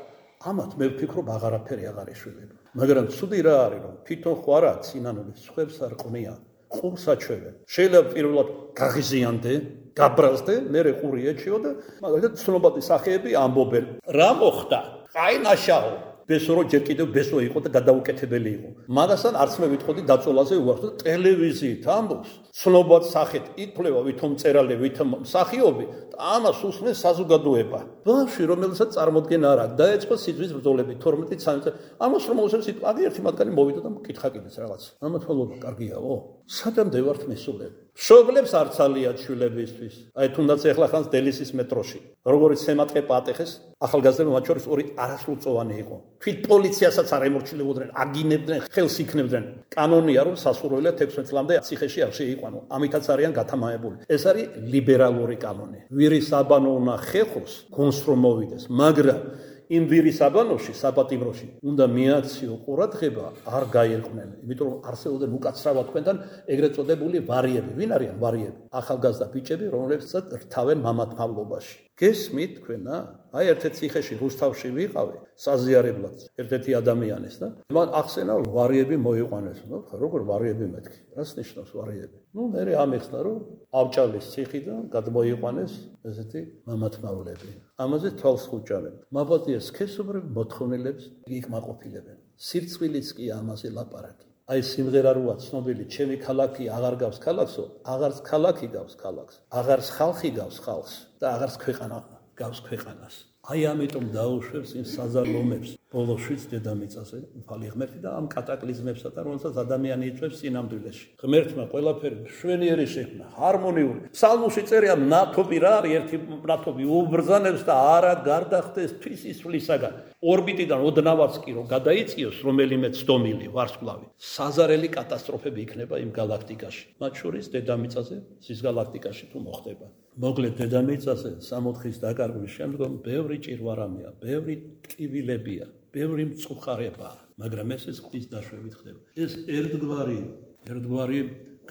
ამათ მე ვფიქრობ აღარაფერი აღარ ეშველება. მაგრამ ცუდი რა არის რომ თვითონ ხო არა ცინანული სხვებს არ ყვნია. ყურს აჩვევენ. შეიძლება პირველად გაღიზიანდე, გაბრაზდე, მერე ყური ეჩიო და მაგალითად ცნობადი სახეები ამბობენ. რა მოხდა? აი ნაშაო. ბესო ჯერ კიდევ ბესო იყო და გადაუკეთებელი იყო. მაგასთან არც მე ვიტყოდი დაწოლაზე უარს და ტელევიზიით ამბობს. ცნობად სახეთ ითვლება ვითომ მწერალი, ვითომ მსახიობი და ამას უსმენს საზოგადოება. ბავშვი რომელსაც წარმოდგენა არ აქვს, დაეწყო სიძვის ბრძოლები თორმეტი ცხრამეტი წელი. ამას რომ მოსებს იტყვა, აგი ერთი მათგანი მოვიდა და მკითხა კიდეც რაღაც. ამათვალობა კარგიაო? სადამდე ვართ მესულები? მშობლებს არ ცალიათ შვილებისთვის. აი თუნდაც ეხლა ხანს დელისის მეტროში. როგორც სემატყე პატეხეს, ახალგაზრდა მათ შორის ორი არასრულწლოვანი იყო. თვით პოლიციასაც არ ემორჩილებოდნენ, აგინებდნენ, ხელს იქნებდნენ. კანონია რომ სასურველია ექვსმეტ წლამდე ციხეში არ შეიყვანო. ამითაც არიან გათამაებული. ეს არის ლიბერალური კანონი. ვირის აბანო უნდა ხეხოს, გონს რომ მოვიდეს, მაგრამ იმ ვირის აბანოში, საპატიმროში უნდა მიაქციო ყურადღება, არ გაერყვნენ. იმიტომ რომ არსებობდნენ უკაცრავად თქვენთან ეგრეთ წოდებული ვარიები. ვინ არიან ვარიები? ახალგაზრდა ბიჭები, რომლებსაც რთავენ მამათმავლობაში. გესმით თქვენა? აი ერთ-ერთ ციხეში რუსთავში ვიყავი, საზიარებლად ერთ-ერთი ადამიანის და მან ახსენა ვარიები მოიყვანეს. ნუ როგორ ვარიები მეთქი? რას ნიშნავს ვარიები? ნუ მე ამეხსნა რომ ავჭალის ციხიდან გადმოიყვანეს ესეთი მამათმავლები. ამაზე თვალს ხუჭავენ. მაბადია სქესობრივ მოთხოვნილებს იკმაყოფილებენ. სირცვილიც კი ამაზე ლაპარაკი. აი სიმღერა როა ცნობილი, ჩემი ქალაქი აღარ გავს ქალაქსო, აღარც ქალაქი გავს ქალაქს, აღარც ხალხი გავს ხალხს და აღარც ქვეყანა გავს ქვეყანას. აი ამიტომ დაუშვებს იმ საზარლომებს ბოლოშიც დედამიწაზე უფალი ღმერთი და ამ კატაკლიზმებსა და რომელსაც ადამიანი იწვევს წინამდვილეში. ღმერთმა ყველაფერი მშვენიერი შექმნა, ჰარმონიული. ფსალმუში წერია ნათობი რა არის ერთი ნათობი უბრძანებს და არა გარდახდეს თვისისვლისაგან. ორბიტიდან ოდნავაც კი რომ გადაიწიოს რომელიმე ცდომილი ვარსკვლავი, საზარელი კატასტროფები იქნება იმ galaktikაში. მათ შორის დედამიწაზე, ზის galaktikაში თუ მოხდება. მოკლედ დედამიწაზე სამოთხის დაკარგვის შემდგომ ბევრი ჭირვარამია, ბევრი ტკივილებია, ბევრი მწუხარებაა, მაგრამ ესეც ღვთის დაშვებით ხდება. ეს ერთგვარი, ერთგვარი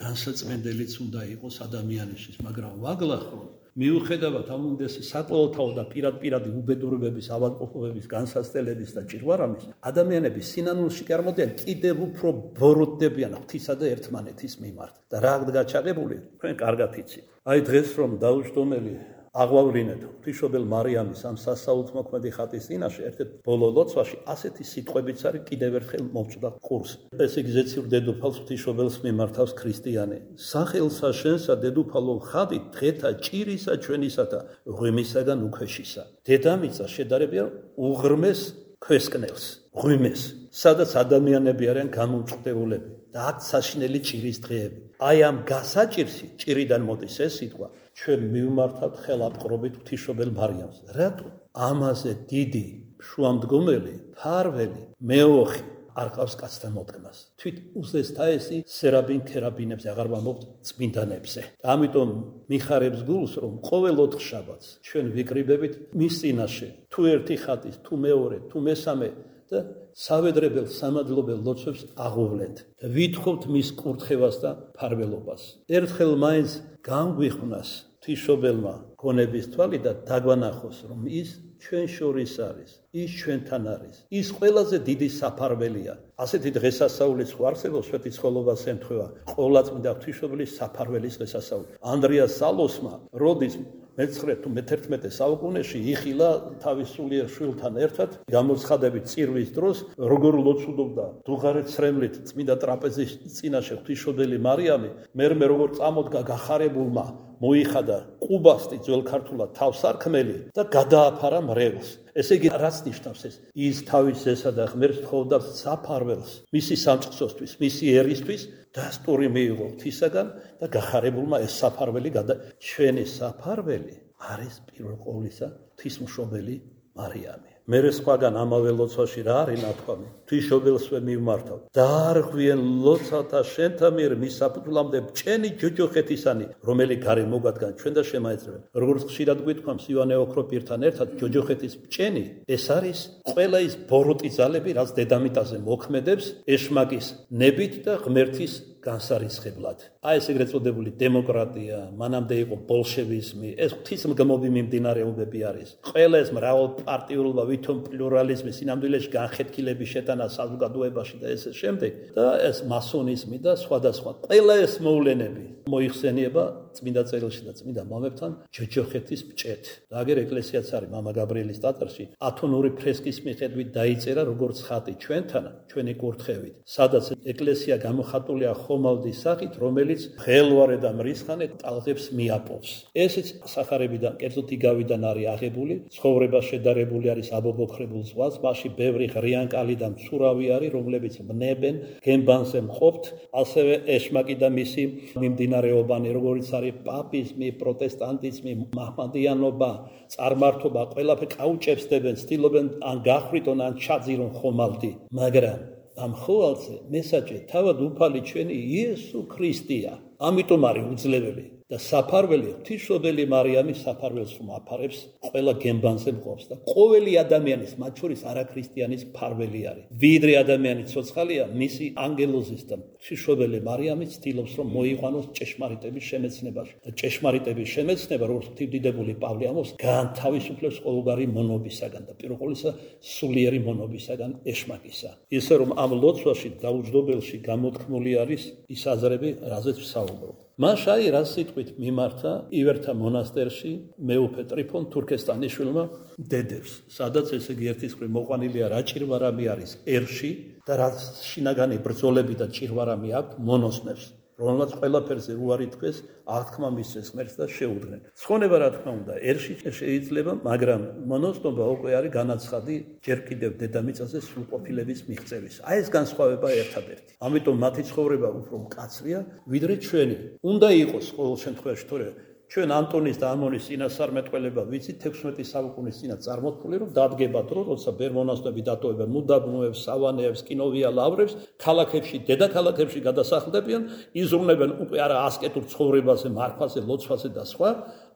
განსაწმენდელიც უნდა იყოს ადამიანისთვის, მაგრამ ვაგლახოთ მიუხედავად ამ უნდესი საკოლოთაო და პირად-პირადი უბედურებების, ავადმყოფობების, განსაცდელების და ჭირვარამის, ადამიანები სინანულში კი არ მოდიან, კიდევ უფრო ბოროტდებიან ღვთისა და ერთმანეთის მიმართ. და რა გაჩაღებული, თქვენ კარგად იცით. აი დღეს რომ დაუჯდომელი აღვავლინეთ ღვთისმშობელ მარიამის ამ სასაუთმოქმედი ხატის წინაშე ერთ-ერთ ბოლო ლოცვაში ასეთი სიტყვებიც არის კიდევ ერთხელ მომწვდა ყურს. ეს იგი ზეციური დედოფალს ღვთისმშობელს მიმართავს ქრისტიანი. სახელსა შენსა დედოფალო ხატი დღეთა ჭირისა ჩვენისათა ღვიმისაგან უქვეშისა. დედამიწა შედარებია უღრმეს ქვესკნელს, ღვიმეს, სადაც ადამიანები არიან გამომწყდებულები და აქ საშინელი ჭირის დღეები. აი ამ გასაჭირსი ჭირიდან მოდის ეს სიტყვა. ჩვენ მივმართავთ ხელაპყრობით ღვთისმშობელ მარიამს. რატო? ამაზე დიდი, შუამდგომელი, ფარველი, მეოხი არ ყავს კაცთან მოდგმას. თვით უზესთაესი სერაბინ ქერაბინებზე აღარ ვამბობთ წმინდანებზე. ამიტომ მიხარებს გულს, რომ ყოველ ოთხშაბათს ჩვენ ვიკრიბებით მის წინაშე, თუ ერთი ხატის, თუ მეორე, თუ მესამე და სავედრებელ სამადლობელ ლოცვებს აღვვლენთ და ვითხოვთ მის კურთხევას და ფარველობას. ერთხელ მაინც განგვიხვნას ღვთისმშობელმა გონების თვალი და დაგვანახოს, რომ ის ჩვენ შორის არის, ის ჩვენთან არის, ის ყველაზე დიდი საფარველია. ასეთი დღესასწაულის ხო არსებობს სვეტიცხოვლობას ემთხვევა ყოვლადწმიდა ღვთისმშობლის საფარველის დღესასწაული. ანდრია სალოსმა როდის მეცხრე თუ მეთერთმეტე საუკუნეში იხილა თავის სულიერ შვილთან ერთად გამოცხადებით წირვის დროს როგორ ლოცულობდა დუღარეთ სრემლით წმინდა ტრაპეზის წინაშე ღვთისმშობელი მარიამი, მერმე როგორ წამოდგა გახარებულმა მოიხადა ყუბასტი ძველ ქართულად თავსარქმელი და გადააფარა მრევლს. ესე იგი რაც ნიშნავს ეს? ის თავის ზესა და ღმერთს თხოვდა საფარველს, მისი სამწყსოსთვის, მისი ერისთვის დასტური მიიღო ღვთისაგან და გახარებულმა ეს საფარველი გადა. ჩვენი საფარველი არის პირველ ყოვლისა ღვთისმშობელი მარიამი. მერე სხვაგან ამავე ლოცვაში რა არის ნათქვამი? ღვთისმშობელსვე მივმართავ. დაარღვიენ ლოცავთა შენთა მიერ მისაფუძვლამდე ბჭენი ჯოჯოხეთისანი, რომელი გარე მოგადგან ჩვენ და შემაეწრებენ. როგორც ხშირად გვითქვამს ივანე ოქროპირთან ერთად, ჯოჯოხეთის ბჭენი ეს არის ყველა ის ბოროტი ძალები, რაც დედამიწაზე მოქმედებს ეშმაკის ნებით და ღმერთის განსარისხებლად. აი ეს ეგრეთ წოდებული დემოკრატია, მანამდე იყო ბოლშევიზმი, ეს ღვთისმგმობი მიმდინარეობები არის. ყველა ეს მრავალპარტიულობა, ვითომ პლურალიზმი, სინამდვილეში განხეთქილების შეტანა საზოგადოებაში და ესე შემდეგ და ეს მასონიზმი და სხვადასხვა. ყველა ეს მოვლენები მოიხსენიება წმინდა წერილში და წმინდა მამებთან ჯოჯოხეთის ბჭეთ. და აგერ ეკლესიაც არის მამა გაბრიელის ტაძარში ათონური ფრესკის მიხედვით დაიწერა როგორც ხატი ჩვენთან, ჩვენი კურთხევით, სადაც ეკლესია გამოხატულია ხომალდის სახით, რომელიც ხელვარე და მრისხანე ტალღებს მიაპოვს. ესეც სახარებიდან, კერძოდ იგავიდან არის აღებული, ცხოვრება შედარებული არის აბობოქრებულ ზღვას, მასში ბევრი ღრიანკალი და მცურავი არის, რომლებიც ვნებენ, გემბანზე მყოფთ, ასევე ეშმაკი და მისი მიმდინარეობანი, როგორც არის პაპიზმი, პროტესტანტიზმი, მაჰმადიანობა, წარმართობა, ყველაფერი კაუჭებსდებენ, ცდილობენ ან გახვიტონ, ან ჩაძირონ ხომალდი, მაგრამ ამ ხოვალზე მესაჯი თავად უფალი ჩვენი იესო ქრისტეა. ამიტომ არის უძლებელი და საფარველი ღვთისმშობელი მარიამი საფარველს მოაფარებს ყველა გემბანზე მყოფს და ყოველი ადამიანის, მათ შორის არაქრისტიანის ფარველი არის. ვიდრე ადამიანი ცოცხალია, მისი ანგელოზის და ღვთისმშობელი მარიამი ცდილობს რომ მოიყვანოს ჭეშმარიტების შემეცნებაში. და ჭეშმარიტების შემეცნება, როგორც ღვთისმდიდებული პავლე ამბობს, განთავისუფლებს ყოველგვარი მონობისაგან და პირველ ყოვლისა სულიერი მონობისაგან ეშმაკისა. ისე რომ ამ ლოცვაში დაუჯდობელში გამოთქმული არის ის აზრები, რაზეც ვსაუბრობ. მას აი რა სიტყვით მიმართა ივერთა მონასტერში მეუფე ტრიფონ თურქესტანიშვილმა დედებს, სადაც ესე იგი ერთის მხრივ მოყვანილია რა ჭირვარამი არის ერში და რა შინაგანი ბრძოლები და ჭირვარამი აქვს მონოსნებს, რომელმაც ყველაფერზე უარი თქვეს, აღთქმა მისცეს ღმერთს და შეუდგნენ. ცხონება რა თქმა უნდა ერში შეიძლება, მაგრამ მონოსნობა უკვე არის განაცხადი ჯერ კიდევ დედამიწაზე სრულყოფილების მიღწევის. აი ეს განსხვავება ერთადერთი. ამიტომ მათი ცხოვრება უფრო მკაცრია, ვიდრე ჩვენი. უნდა იყოს ყოველ შემთხვევაში, თორე ჩვენ ანტონის და ამონის წინასწარმეტყველება ვიცით თექვსმეტი საუკუნის წინათ წარმოთქმული, რომ დადგება დრო, როცა ბერ-მონასტრები დატოვებენ მუდაბნოებს, სავანეებს, კინოვია ლავრებს, ქალაქებში, დედაქალაქებში გადასახლდებიან, იზრუნებენ უკვე არა ასკეტურ ცხოვრებაზე, მარხვაზე, ლოცვაზე და სხვა,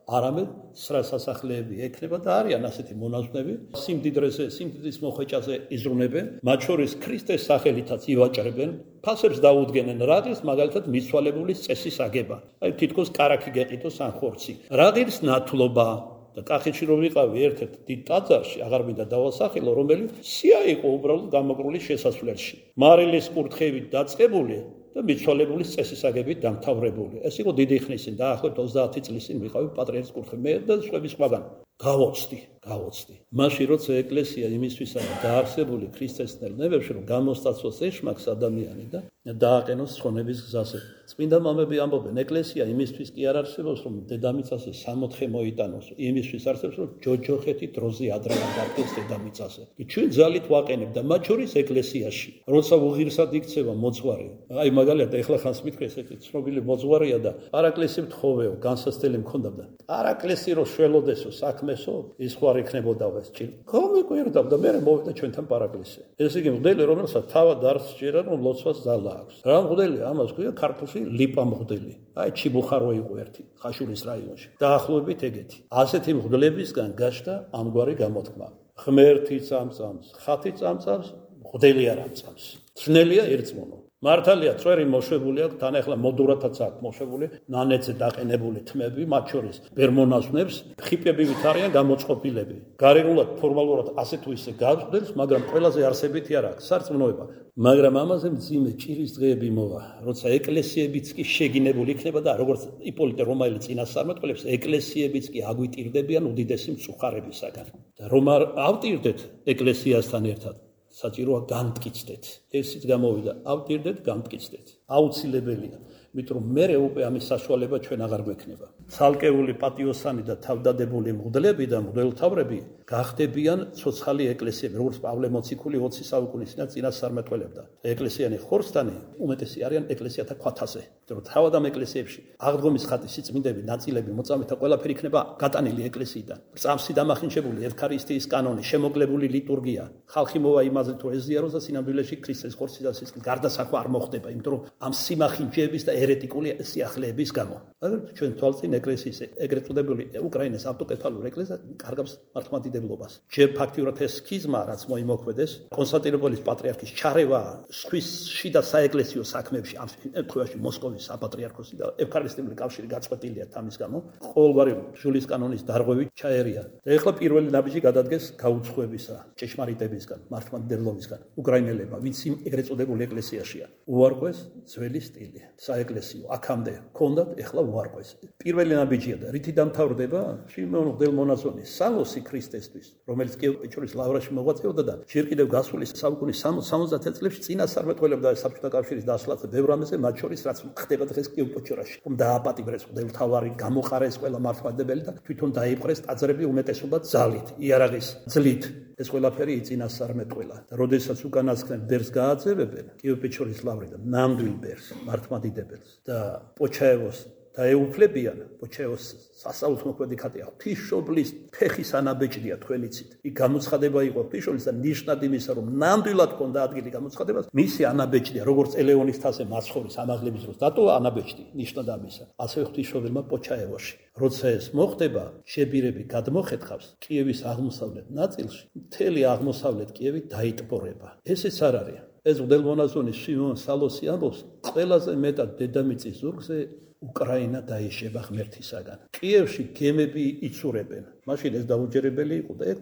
არამედ სრა სასახლეები ექნება და არიან ასეთი მონაზვნები, სიმდიდრეზე, სიმდიდრის მოხვეჭაზე იზრუნებენ, მათ შორის ქრისტეს სახელითაც ივაჭრებენ, ფასებს დაუდგენენ, რადგან მაგალითად მიცვალებულის წესის აგება. აი თითქოს კარაქი გეყიდოს ან ხორცი. რადგან ნათლობა და კახეთში რომ ვიყავი ერთ-ერთ დიდ ტაძარში, აღარ მინდა დავასახელო, რომელიც სია იყო უბრალოდ გამოკრული შესასვლელში. მარილის კურთხევით დაწყებული და მიცვალებულის წესისაგებით დამთავრებული. ეს იყო დიდი ხნის წინ, დაახლოებით ოცდაათი წლის წინ ვიყავი პატრიარქის კურთხევით, მე და სხვები სხვაგან. გავოცდი, გავოცდი. მაშინ როცა ეკლესია იმისთვისაა დაარსებული ქრისტესნელ ნებებში, რომ გამოსტაცოს ეშმაკს ადამიანი და დააყენოს ცხონების გზაზე. წმინდა მამები ამბობენ, ეკლესია იმისთვის კი არ არსებობს, რომ დედამიწაზე სამოთხე მოიტანოს, იმისთვის არსებობს, რომ ჯოჯოხეთი დროზე ადრე დადგეს დედამიწაზე. ჩვენ ძალით ვაყენებ და მათ შორის ეკლესიაში, როცა უღირსად იქცევა მოძღვარი. აი მაგალითად ეხლა ხანს მithქვი ესეთი ცნობილი მოძღვარია და პარაკლისი მთხოვეო, განსასწრელი მქონდა და პარაკლისი რო შველოდესო საქმესო, ის ხوار იქნებოდაო ეს ჭირ. გამიკვირდა და მე მოვიდა ჩვენთან პარაკლისი. ესე იგი მღვდელი, რომელსაც თავად არ სჯერა, რომ ლოცვას ძალა აქვს. რა მღვდელი? ამას ქვია ქართულში ლიპა მღვდელი. აი ჩიბუხარო იყო ერთი ხაშურის რაიონში. დაახლოებით ეგეთი. ასეთი მღვდლებისგან გაჩნდა ამგვარი გამოთქმა. ღმერთი წამწამს, ხათი წამწამს, მღვდელი არ ამწამს. ძნელია ერწმუნო. მართალია წვერი მოშვებული აქვს, თან ახლა მოდურათაც აქვს მოშვებული, ნანეცზე დაყენებული თმები, მათ შორის ბერ-მონაზვნებს, ხიპები ვით არიან გამოწყობილები. გარეგულად, ფორმალურად ასე თუ ისე გავხდებს, მაგრამ ყველაზე არსებითი არ აქვს სარწმუნოება. მაგრამ ამაზე მძიმე ჭირის დღეები მოვა, როცა ეკლესიებიც კი შეგინებული იქნება და როგორც იპოლიტე რომაელი წინასწარმეტყველებს, ეკლესიებიც კი აგვიტირდებიან უდიდესი მწუხარებისაგან. და რომ არ ავტირდეთ ეკლესიასთან ერთად, საჭიროა განმტკიცდეთ. ესიც გამოვიდა, ავტირდეთ, განმტკიცდეთ. აუცილებელია. იმიტომ რომ მე უკვე ამის საშუალება ჩვენ აღარ გვექნება. ცალკეული პატიოსანი და თავდადებული მღვდლები და მღვდელმთავრები გახდებიან ცოცხალი ეკლესიები, როგორც პავლე მოციქული ოცი საუკუნის წინასწარმეტყველებდა. ეკლესიანი ხორცთანი უმეტესი არიან ეკლესიათა ქვათაზე. იმიტომ რომ თავად ამ ეკლესიებში აღდგომის ხატის სიწმინდები, ნაწილები, მოწამეთა ყველაფერი იქნება გატანილი ეკლესიიდან. წამსი დამახინჯებული ევქარისტიის კანონი, შემოკლებული ლიტურგია. ხალხი მოვა იმაზე თუ ეზიაროს და სინამდვილეში ქრისტეს ხორცის და სისხლის გარდასახვა არ მოხდება, იმიტომ რომ ამ სიმახინჯეების და ერეტიკული სიახლეების გამო. მაგრამ ჩვენ თვალწინ ეკლესიის ეგრეთ წოდებული უკრაინის ავტოკეფალური ეკლესია კარგავს მართლმადიდებლობას. ჯერ ფაქტიურად ეს სქიზმა, რაც მოიმოქმედეს, კონსტანტინოპოლის პატრიარქის ჩარევა სხვის შიდა საეკლესიო საქმეებში, ამ შემთხვევაში მოსკოვის საპატრიარქოსი და ევქარისტიული კავშირი გაწყვეტილია თამის გამო, ყოველგვარი ბრძოლის კანონის დარღვევით ჩაერია. და ეხლა პირველი ნაბიჯი გადადგეს გაუცხოებისა, ჭეშმარიტებისგან, მართლმადიდებლობისგან უკრაინელებმა, ვინც იმ ეგრეთ წოდებული ეკლესიაშია. უარყვეს ძველი სტილი, საეკლესიო, აქამდე ჰქონდათ, ეხლა უარყვეს. პირველი ნაბიჯია და რითი დამთავრდება? შიმეონ მღვდელმონაზონის სალოსი ქრისტესთვის, რომელიც კიევ-პეჩორის ლავრაში მოღვაწეობდა და ჯერ კიდევ გასული საუკუნის სამოცდაათი წლებში წინასწარმეტყველებდა საბჭოთა კავშირის დასვლას და ბევრ ამაზე, მათ შორის რაც ხდება დღეს კიევ-პეჩორაში. რომ დააპატიმრეს მღვდელმთავარი, გამოყარეს ყველა მართლმადიდებელი და თვითონ დაიპყრეს ტაძრები უმეტესობა ძალით, იარაღის ძლით. ეს ყველაფერი იწინასწარმეტყველა. და როდესაც უკანასკნელ ბერს გააძევებენ, კიევ-პეჩორის ლავრი და ნამდვილ ბერს, მართლმადიდებელს და პოჩაევოს დაეუფლებიან, პოჩაევოს სასაუთმოქმედი ხატია ღვთისმშობლის ფეხის ანაბეჭდია თქვენი ცით. იქ გამოცხადება იყო ღვთისმშობლის და ნიშნად იმისა, რომ ნამდვილად ჰქონდა ადგილი გამოცხადებას, მისი ანაბეჭდია, როგორც ელეონის თასე მაცხოვრის ამაღლების დროს დატოვა ანაბეჭდი, ნიშნად ამისა. ასევე ღვთისმშობელმა პოჩაევოში. როცა ეს მოხდება, შებირები გადმოხეთხავს კიევის აღმოსავლეთ ნაწილში, მთელი აღმოსავლეთ კიევი დაიტბორება. ესეც არ არის. ეს მღვდელმონაზონის შიმეონ სალოსი ამბობს, ყველაზე მეტად დედამიწის ზურგზე უკრაინა დაიშება ღმერთისაგან. კიევში გემები იცურებენ. მაშინ ეს დაუჯერებელი იყო და ეგ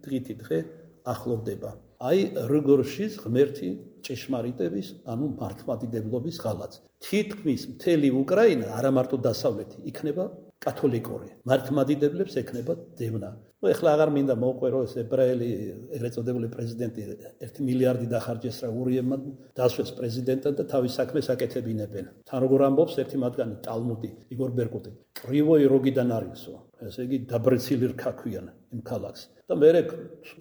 დღითი დღე ახლოვდება. აი როგორშიც ღმერთი ჭეშმარიტების, ანუ მართლმადიდებლობის ღალატს. თითქმის მთელი უკრაინა, არა მარტო დასავლეთი, იქნება კათოლიკური. მართლმადიდებლებს ექნება დევნა. ნუ ეხლა აღარ მინდა მოვყვე, რომ ეს ებრაელი ეგრეთ წოდებული პრეზიდენტი ერთი მილიარდი დახარჯეს რა ურიებმა დასვეს პრეზიდენტად და თავის საქმეს აკეთებინებენ. თან როგორ ამბობს ერთი მათგანი ტალმუდი, იგორ ბერკუტი. კრივოი როგიდან არისო. ესე იგი დაბრეცილი რქა ქვიან იმ ქალაქს. და მე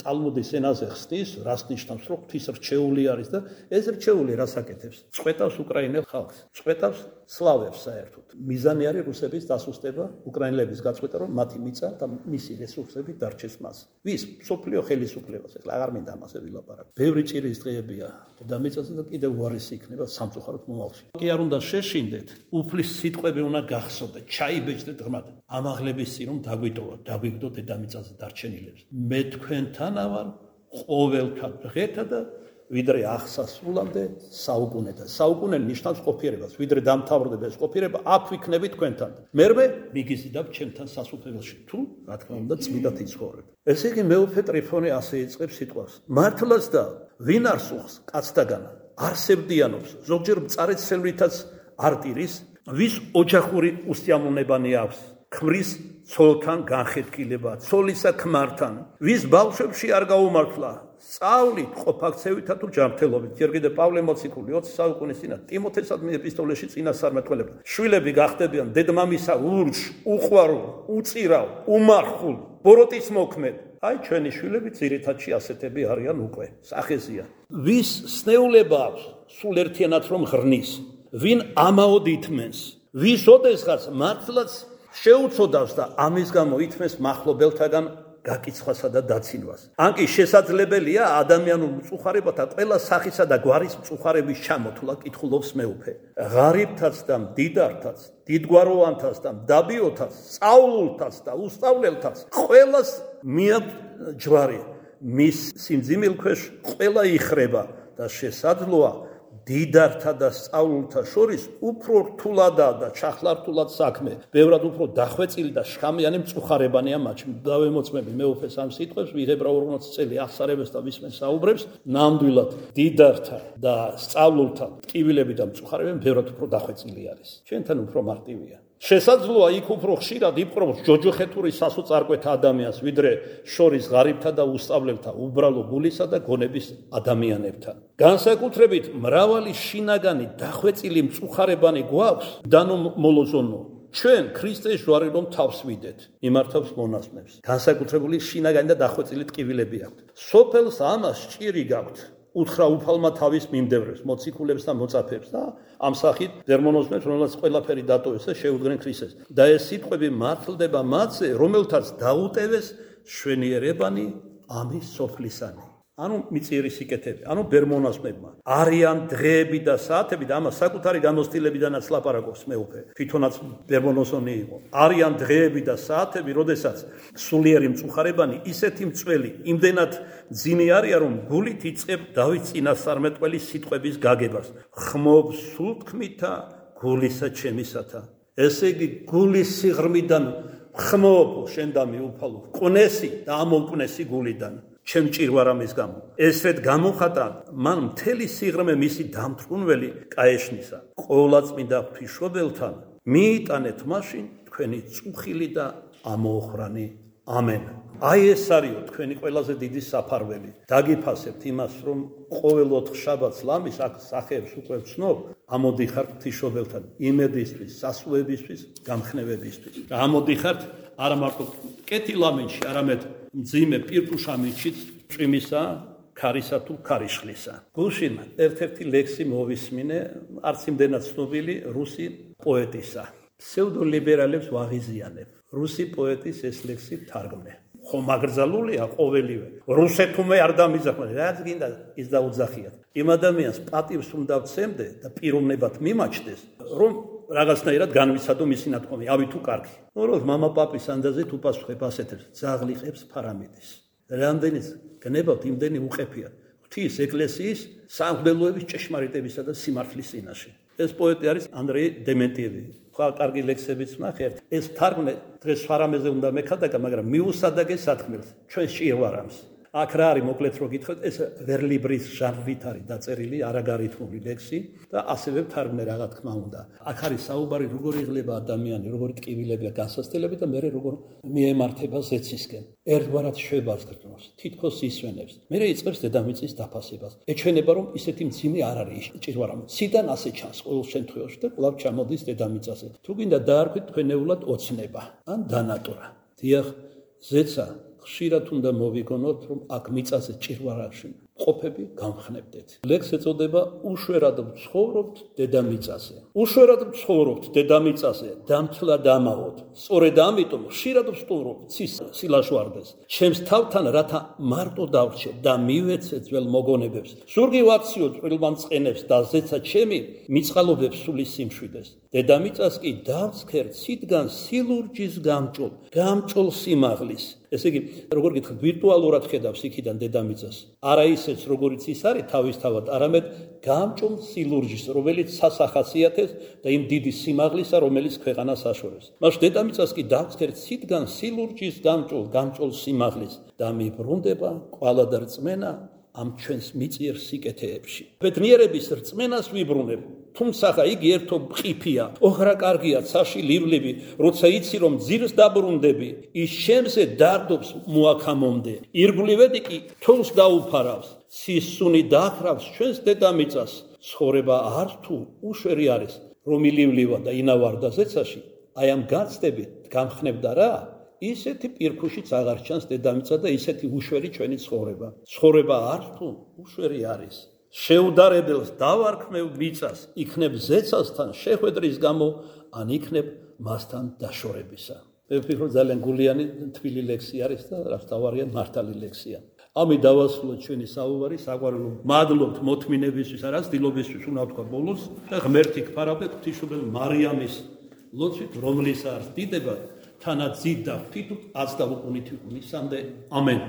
ტალმუდის ენაზე ხსნის, რას ნიშნავს, რომ ღვთის რჩეული არის და ეს რჩეული რას აკეთებს? წყვეტავს უკრაინელ ხალხს, წყვეტავს სლავებს საერთოდ. მიზანი არის რუსების დასუსტება, უკრაინელების გაწყვეტა, რომ მათი მიწა და მისი რესურსები დარჩეს მას. ვის? მსოფლიო ხელისუფლებას. ეხლა აღარ მინდა ამაზე ვილაპარაკო. ბევრი ჭირის დღეებია დედამიწაზე და კიდევ უარესი იქნება სამწუხაროდ მომავალში. კი არ უნდა შეშინდეთ, უფლის სიტყვები უნდა გახსოვდეთ, ჩაიბეჭდეთ ღრმად. ამაღლების წინ რომ დაგვიტოვა, დაგვიგდო დედამიწაზე დარჩენილებს. მე თქვენთანა ვარ ყოველთა დღეთა და ვიდრე აღსასრულამდე საუკუნეთა. საუკუნე ნიშნავს ყოფიერებას, ვიდრე დამთავრდება ეს ყოფიერება, აქ ვიქნები თქვენთან. მერმე მიგიზიდავ ჩემთან სასუფეველში, თუ რა თქმა უნდა წმიდად იცხოვრებ. ესე იგი მეუფე ტრიფონე ასე იწყებს სიტყვას. მართლაც და ვინ არ სუხს კაცთაგან, არსებდიანობს, ზოგჯერ მწარეცელვითაც არტირის, ვის ოჯახური უსიამოვნებანი აქვს. ქმრის ცოლთან განხეთქილება, ცოლისა ქმართან, ვის ბავშვებში არ გაუმართლა, სწავლით, ყოფაქცევითა თუ ჯანმრთელობით. ჯერ კიდევ პავლე მოციქული ოცი საუკუნის წინა ტიმოთესადმი ეპისტოლეში წინასწარმეტყველებდა. შვილები გახდებიან დედმამისა ურჩ, უყვარულ, უწირავ, უმარხულ, ბოროტის მოქმედ. აი ჩვენი შვილები ძირითადში ასეთები არიან უკვე. სახეზია. ვის სნეულება აქვს, სულ ერთიანად რომ ღრნის, ვინ ამაოდ ითმენს, ვის ოდესღაც მართლაც შეუწოდავს და ამის გამო ითმეს მახლობელთაგან გაკიცხვასა და დაცინვას. ან კი შესაძლებელია ადამიანურ მწუხარებათა ყველა სახისა და გვარის მწუხარების ჩამოთვლა, კითხულობს მეუფე. ღარიბთაც და მდიდართაც, დიდგვაროვანთაც და მდაბიოთაც, სწავლულთაც და უსწავლელთაც, ყველას მიაქვს ჯვარი. მის სიმძიმილ ქვეშ ყველა იხრება და შესაძლოა დიდართა და სწავლულთა შორის უფრო რთულადაა და ჩახლართულად საქმე, ბევრად უფრო დახვეწილი და შხამიანი მწუხარებანია მათში. დავემოწმები მეუფეს ამ სიტყვებს, ვიღებრა ორმოც წელი აღსარებებს და ვისმენ საუბრებს, ნამდვილად დიდართა და სწავლულთა ტკივილები და მწუხარებები ბევრად უფრო დახვეწილი არის. ჩვენთან უფრო მარტივია. შესაძლოა იქ უფრო ხშირად იპყრობს ჯოჯოხეთური სასოწარკვეთა ადამიანს, ვიდრე შორის ღარიბთა და უსწავლელთა, უბრალო გულისა და გონების ადამიანებთან. განსაკუთრებით მრავალი შინაგანი დახვეწილი მწუხარებანი გვაქვს დანო მოლოზონო. ჩვენ ქრისტეს ჯვარი რომ თავს ვიდეთ, იმართავს მონაზვნებს. განსაკუთრებული შინაგანი და დახვეწილი ტკივილები აქვთ. სოფელს ამას ჭირი გაქვთ. უთხრა უფალმა თავის მიმდევრებს, მოციქულებს და მოწაფეებს და ამ სახით დერმონოზნებს, რომელსაც ყველაფერი დატოვეს და შეუდგნენ ქრისტეს. და ეს სიტყვები მართლდება მათზე, რომელთაც დაუტევეს შვენიერებანი ამის სოფლისანი. ანუ მიწიერი სიკეთები, ანუ ბერმონაზნებმა. არიან დღეები და საათები და ამას საკუთარი გამოცდილებიდანაც ლაპარაკობს მეუფე. თვითონაც ბერმონოზონი იყო. არიან დღეები და საათები, როდესაც სულიერი მწუხარებანი ისეთი მწველი, იმდენად ძინი არიან, რომ გულით იწყებ დავით წინასწარმეტყველის სიტყვების გაგებას. ხმობ სულთქმითა გულისა ჩემისათა. ესე იგი გულის სიღრმიდან ხმობ შენ და მიუფალო. ყნესი და ამოკნესი გულიდან. ჩემ ჭირვარამის გამო. ესრეთ გამოხატა მან მთელი სიღრმე მისი დამთრუნველი კაეშნისა. ყოვლადწმინდა ღვთისმშობელთან მიიტანეთ მაშინ თქვენი წუხილი და ამოოხრანი. ამენ. აი ეს არისო თქვენი ყველაზე დიდი საფარველი. დაგიფასებთ იმას, რომ ყოველ ოთხ შაბათს ლამის აქ სახეებს უკვე ვცნობ, ამოდიხართ ღვთისმშობელთან იმედისთვის, სასულებისთვის, გამხნევებისთვის. და ამოდიხართ არა მარტო კეთილამინში, არამედ მძიმე პირკუშამინშიც წვიმისა, ქარისა თუ ქარიშხლისა. გუშინ ერთ-ერთი ლექსი მოვისმინე, არც იმდენად ცნობილი რუსი პოეტისა. ფსევდოლიბერალებს ვაღიზიანებ. რუსი პოეტის ეს ლექსი თარგმნე. ხომ აკრძალულია ყოველივე. რუსეთუმე არ დამიზახმა, რაც გინდა ის დაუძახიათ. იმ ადამიანს პატივს უნდა ვცემდე და პიროვნებად მიმაჩნდეს, რომ რაღაცნაირად განვიცადო მისი ნათქვამი, ავი თუ კარგი. ნუ რომ მამა პაპის ანდაზე თუ პასუხებ ასეთებს, ძაღლიყებს ფარამიდის. რამდენიც გნებავთ, იმდენი უყეფია. ღვთის ეკლესიის სამღვდელოების ჭეშმარიტებისა და სიმართლის წინაშე. ეს პოეტი არის ანდრეი დემენტიევი. ხა კარგი ლექსებიც ნახეთ. ეს თარგმნე დღეს ფარამეზე უნდა მეხადაგა, მაგრამ მიუსადაგე სათქმელს, ჩვენ ჭირვარამს. აქ რა არის მოკლედ რო გითხრათ, ეს ვერლიბრის ჟანრით არის დაწერილი, არაგარითმული ლექსი და ასევე თარგმნე რა თქმა უნდა. აქ არის საუბარი როგორ იღლება ადამიანი, როგორ ტკივილებია განსასწრებელი და მე როგორ მიემართება ზეცისკენ. ერთგვარად შვებას გრძნობს, თითქოს ისვენებს. მე იწყებს დედამიწის დაფასებას. ეჩვენება რომ ისეთი მძიმე არ არის ჭირვარამ. ციდან ასე ჩანს ყოველ შემთხვევაში და კვლავ ჩამოდის დედამიწაზე. თუ გინდა დაარქვით თქვენეულად ოცნება ან დანატურა. დიახ, ზეცა ხშირად უნდა მოვიგონოთ, რომ აქ მიწაზე ჭირვარაში ყოფები გამხნევდეთ. ლექს ეწოდება უშვერად ვცხოვრობთ დედამიწაზე. უშვერად ვცხოვრობთ დედამიწაზე, დამცლა დამაოდ. სწორედ ამიტომ ხშირად ვსტუმრობ სილაშვარდეს. ჩემს თავთან რათა მარტო დავრჩე და მივეცე ძველ მოგონებებს. ზურგი ვაქციო წვრილმა მწყენებს და ზეცა ჩემი მიწყალობებს სული სიმშვიდეს. დედამიწას კი დავსქერ ციდან სილურჯის გამჭოლ, გამჭოლ სიმაღლის. ესე იგი, როგორ გითხრათ, ვირტუალურად ხედავს იქიდან დედამიწას. არა ისეც, როგორიც ის არის თავისთავად, არამედ გამჭოლ სილურჯის, რომელიც სასახასიათებს და იმ დიდი სიმაღლისა, რომელიც ქვეყანას აშორებს. მაშინ დედამიწას კი დავსქერ ციდან სილურჯის გამჭოლ, გამჭოლ სიმაღლის და მიბრუნდება ყვალა და რწმენა ამ ჩვენს მიწიერ სიკეთეებში. ბედნიერების რწმენას ვიბრუნებ. თუმცა იგი ერთო ყიფია, ოხრა კარგია, ცაში ლიბლები, როცა იცი რომ ძირს დაბრუნდები, ის შემზე დარდობს მოაქამომდე. ირგვლივედი კი თოვს დაუფარავს, სისუნი დახრავს ჩვენს დედამიწას. ცხოვრება არ თუ უშვერი არის, რომ ილივლივა და ინავარდა ზეცაში, აი ამ გაცდებით გამხნევდა რა? ისეთი პირქუშიც აღარ ჩანს დედამიწა და ისეთი უშვერი ჩვენი ცხოვრება. ცხოვრება არ თუ უშვერი არის. შეუდარებელს დავარქმევ მიწას, იქნებ ზეცასთან შეხვედრის გამო, ან იქნებ მასთან დაშორებისა. მე ვფიქრობ ძალიან გულიანი თბილი ლექსი არის და რასთავარია მართალი ლექსია. ამით დავასრულოთ ჩვენი საუბარი, საყვარელო, მადლობთ მოთმინებისთვის, არა ცდილობისთვის უნდა ვთქვა ბოლოს და ღმერთი გფარავდეთ ღვთისმშობელ მარიამის ლოცვით, რომლის არს დიდება თანაც ძით და ღვთით აც და უკუნით უკუნისამდე. ამენ.